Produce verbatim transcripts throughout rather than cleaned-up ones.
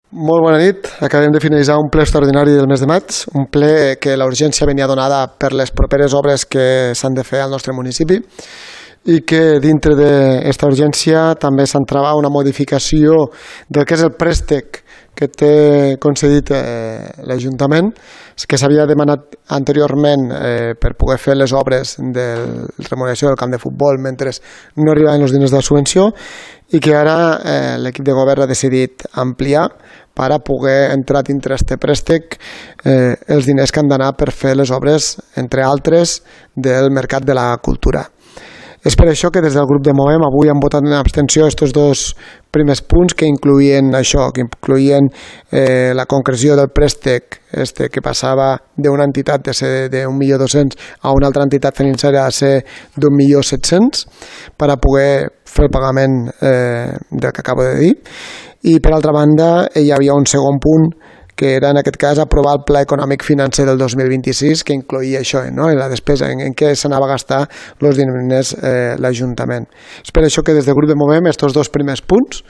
Molt bona nit. Acabem de finalitzar un ple extraordinari del mes de maig, un ple que la urgència venia donada per les properes obres que s'han de fer al nostre municipi i que dintre d'aquesta urgència també s'entrava una modificació del que és el préstec que té concedit eh, l'Ajuntament, que s'havia demanat anteriorment eh, per poder fer les obres de remuneració del camp de futbol mentre no arribaven els diners de la subvenció i que ara eh, l'equip de govern ha decidit ampliar per a poder entrar dintre aquest préstec eh, els diners que han d'anar per fer les obres, entre altres, del Mercat de la Cultura. És per això que des del grup de Movem avui han votat en abstenció aquests dos primers punts que incluïen això, que incluïen eh, la concreció del préstec este que passava d'una entitat de ser d'un milió dos-cents a una altra entitat financera a ser d'un milió set-cents per a poder fer el pagament eh, del que acabo de dir. I per altra banda hi havia un segon punt que era en aquest cas aprovar el Pla Econòmic Financer del dos mil vint-i-sis, que incloïa això, no? la despesa en, en què s'anava a gastar els diners eh, l'Ajuntament. És per això que des del grup de Movem aquests dos primers punts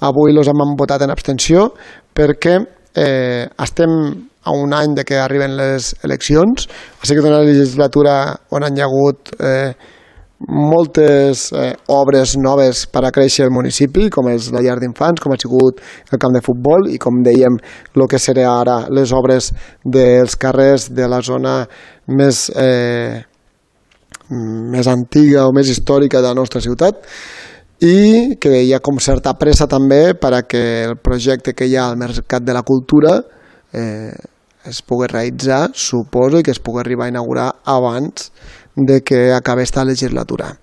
avui els hem votat en abstenció perquè eh, estem a un any de que arriben les eleccions, ha sigut una legislatura on han hi ha hagut eh, moltes eh, obres noves per a créixer el municipi, com és la llar d'infants, com ha sigut el camp de futbol i com dèiem el que serà ara les obres dels carrers de la zona més, eh, més antiga o més històrica de la nostra ciutat i que hi ha com certa pressa també per a que el projecte que hi ha al Mercat de la Cultura eh, es pugui realitzar, suposo, i que es pugui arribar a inaugurar abans de que acabi esta legislatura.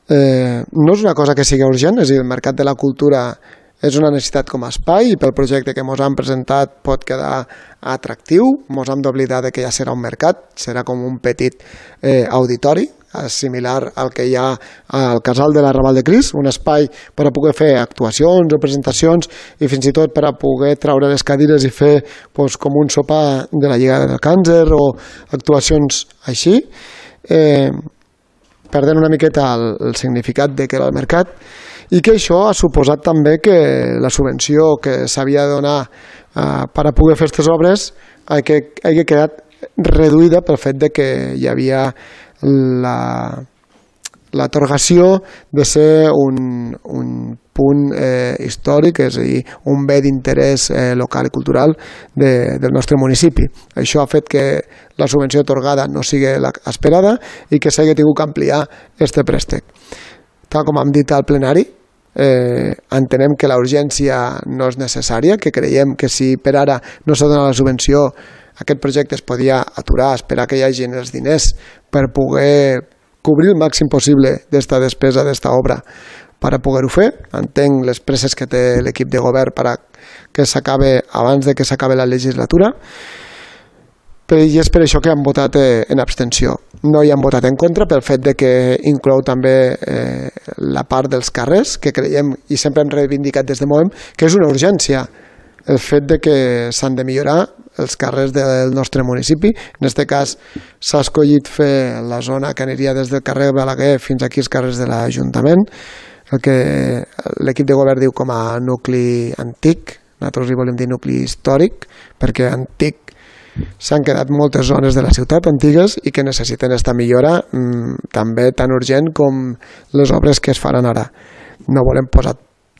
Eh, no és una cosa que sigui urgent, és a dir, el Mercat de la Cultura és una necessitat com a espai i pel projecte que ens han presentat pot quedar atractiu, ens hem d'oblidar que ja serà un mercat, serà com un petit eh, auditori, similar al que hi ha al Casal de la Raval de Cris, un espai per a poder fer actuacions o presentacions i fins i tot per a poder traure les cadires i fer doncs, com un sopar de la Lliga del Càncer o actuacions així, eh, perdent una miqueta el, el significat de que era el mercat i que això ha suposat també que la subvenció que s'havia de donar eh, per a poder fer aquestes obres hagi quedat reduïda pel fet de que hi havia la l'atorgació de ser un, un punt eh, històric, és a dir, un bé d'interès eh, local i cultural de, del nostre municipi. Això ha fet que la subvenció atorgada no sigui esperada i que s'hagi tingut que ampliar aquest préstec. Tal com hem dit al plenari, eh, entenem que la urgència no és necessària, que creiem que si per ara no s'ha donat la subvenció aquest projecte es podia aturar, esperar que hi hagi els diners per poder cobrir el màxim possible d'esta despesa, d'esta obra, per a poder-ho fer. Entenc les presses que té l'equip de govern per a que s'acabi abans de que s'acabi la legislatura, i és per això que han votat en abstenció. No hi han votat en contra pel fet de que inclou també eh, la part dels carrers, que creiem i sempre hem reivindicat des de Movem, que és una urgència el fet de que s'han de millorar els carrers del nostre municipi. En aquest cas s'ha escollit fer la zona que aniria des del carrer Balaguer fins aquí als carrers de l'Ajuntament, el que l'equip de govern diu com a nucli antic, nosaltres hi volem dir nucli històric, perquè antic s'han quedat moltes zones de la ciutat antigues i que necessiten aquesta millora mmm, també tan urgent com les obres que es faran ara. No volem posar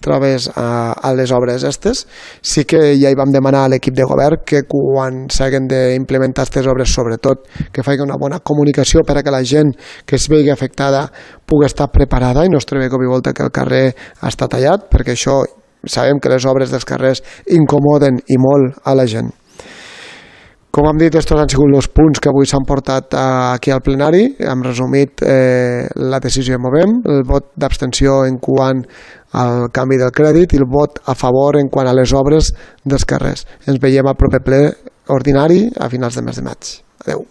traves a, a les obres aquestes. Sí que ja hi vam demanar a l'equip de govern que quan s'hagin d'implementar aquestes obres, sobretot que faci una bona comunicació per a que la gent que es vegi afectada pugui estar preparada i no es trobi cop i volta que el carrer està tallat, perquè això sabem que les obres dels carrers incomoden i molt a la gent. Com hem dit, aquests han sigut els punts que avui s'han portat aquí al plenari. Hem resumit eh, la decisió de Movem, el vot d'abstenció en quant al canvi del crèdit i el vot a favor en quant a les obres dels carrers. Ens veiem al proper ple ordinari a finals del mes de maig. Adéu.